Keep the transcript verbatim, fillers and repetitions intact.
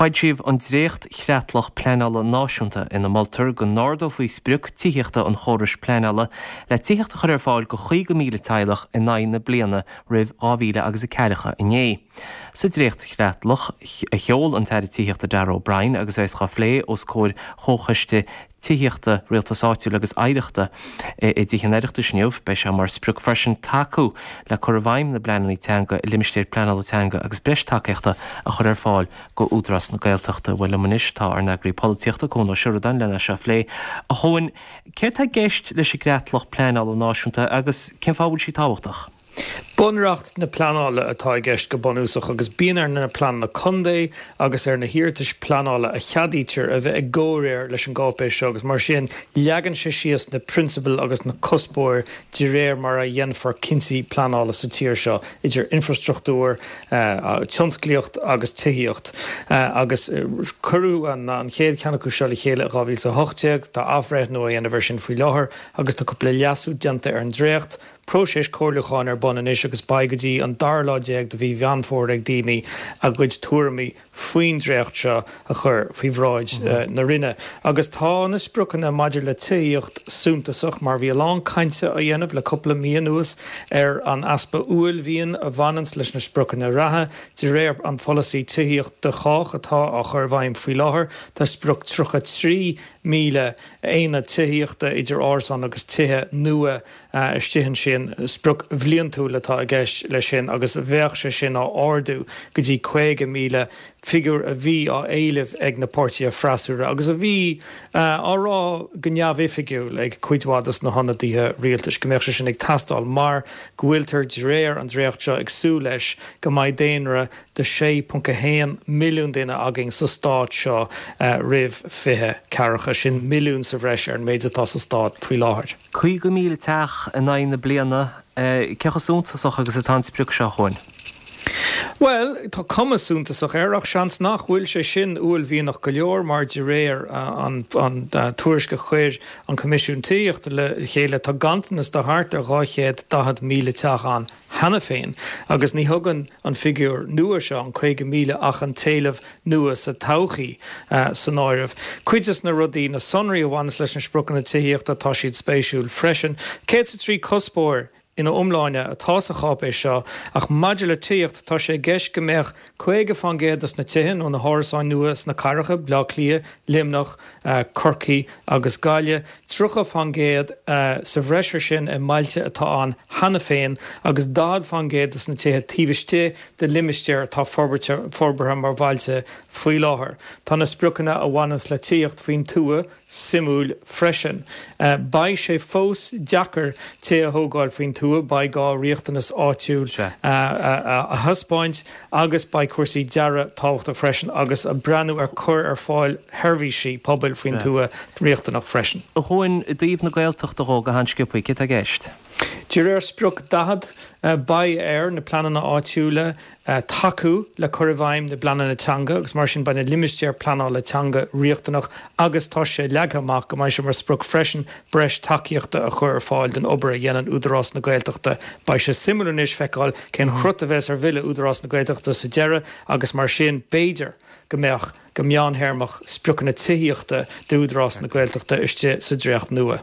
Foilsíodh an dréacht-chreatlach pleanála náisiúnta ina moltar go n-ardófaí sprioc tithíochta an chórais pleanála le tithíocht a chur ar fáil do chaoga míle teaghlach in aghaidh na bliana roimh dhá mhíle agus a ceathracha inné. Sa dréacht-chreatlach a sheol an tAire Tithíochta Darragh O'Brien agus é á phlé os comhair Chomhchoiste Tithíochta Rialtais Áitiúil agus Oidhreachta i dTithe an Oireachtais inniu, beidh sé mar sprioc freisin tacú le cur i bhfeidhm na bpleananna teanga i limistéir pleanála teanga agus breis tacaíochta a chur ar fáil go Údarás na Gaeltachta. Bhuel liom anois tá ár n-eagraí polaitíochta Cuan Ó Seireadáin lena seo a phlé. A Chuain, céard tá i gceist leis an gcreatlach pleanála náisiúnta agus cén fáth a bhfuil sí tábhachtach? Bunreacht na pleanála atá i gceist go bunúsach agus bíonn ar na pleananna contae agus ar na hiarratais pleanála a cheadaítear a bheith i gcomhréir leis an gcáipéis seo agus mar sin leagann sé síos na prionsabail agus na cuspóirí de réir mar a dhéanfar cinntí pleanála sa tír seo idir infrastruchtúr, tionsclaíocht agus tithíocht. Agus cuireadh an chéad cheann acu seo le chéile i dhá mhíle is a hocht déag, tá athbhreithniú á dhéanamh air sin faoi láthair agus tá cúpla leasú déanta ar an dréacht. Próiseas comhairliúcháin ar bun anois agus beidh go dtí an dara lá déag de mhí Mheán Fómhair ag daoine a gcuid tuairimí faoin dréacht seo a chur faoi bhráid na Roinne. Agus tá na spriocanna maidir le tithíocht suntasach mar bhí a lán cainte á dhéanamh le cúpla mí anuas ar an easpa uaillmhian a bhaineanns leis na spriocanna reatha. De réir an pholasaí Tithíocht do Chách atá á chur i bhfeidhm faoi láthair, tá sprioc tríocha trí míle aonad tithíochta idir árasáin agus tithe nua istigh ansin. Sprioc bhliantúil atá i gceist leis sin agus bheadh sé sin á ardú go dtí caoga míle, figiúr a bhí á éileamh ag na páirtithe freasúra agus a bhí á rá go neamhoifigiúil ag cuid mhaith dos na hionadaithe rialtais go mbeadh sé sin ag teastáil mar go bhfuiltear de réir an dréacht seo ag súil leis go mbeidh daonra de sé ponc a haon milliún duine againn sa stát seo roimh fiche ceathracha, sin milliún sa bhreis ar an méid atá sa stát faoi láthair. Caoga míle teach in aghaidh na bliana, cé chomh suntasach agus atá an sprioc seo, a Chuain? Bhuel, tá cuma suntasach air ach seans nach bhfuil sé sin uaillmhianach go leor mar de réir an tuairisc a chuir an Coimisiún Tithíochta le chéile tá ganntanas de thart ar dhá chéad daichead míle teach ann cheana féin agus ní thugann an figiúr nua seo, an caoga míle, ach an t-éileamh nua sa todhchaí san áireamh. Cuid de na rudaí, na sonraí a bhaineas leis na spriocanna tithíochta, tá siad spéisiúil freisin. Céad is a trí cuspóir ina iomláine atá sa cháipéis seo ach maidir le tithíocht, tá sé i gceist go mbeadh caoga fán gcéad de na tithe nó na hárasáin nua sna cathracha, Bleá Cliath, Luimneach, Corcaigh agus Gaillimh, tríocha fán gcéad sa bhreis ar sin i mbailte atá ann cheana féin agus daichead fán gcéad de na tithe taobh istigh de limistéir atá forbartha mar bhailte faoi láthair. Tá na spriocanna a bhaineanns le tithíocht faoin tuath suimiúil freisin. Beidh sé fós deacair tithe a thógáil faoin tuath, beidh gá riachtanas áitiúil a thaispeáint agus beidh cúrsaí dearaidh tábhachtach freisin agus breathnú ar cur ar fáil sheirbhísí pobail faoin tuath riachtanach freisin. A Chuain, i dtaobh na Gaeltachta dhó go han-sciobtha, céard tá i gceist? De réir sprioc daichead, beidh ar na pleananna áitiúla tacú le cur i bhfeidhm na bpleananna teanga agus mar sin beidh na limistéir pleanála teanga riachtanach agus tá sé leagtha amach go mbeidh sé mar sprioc freisin breis tacaíochta a chur ar fáil don obair a dhéanann Údarás na Gaeltachta. Beidh sé suimiúil anois feiceáil cén cruth a bheas ar bhille Údarás na Gaeltachta sa deireadh agus mar sin b'fhéidir go mbeadh, go meántéarmach, spriocanna tithíochta d'Údarás na Gaeltachta istigh sa dréacht nua.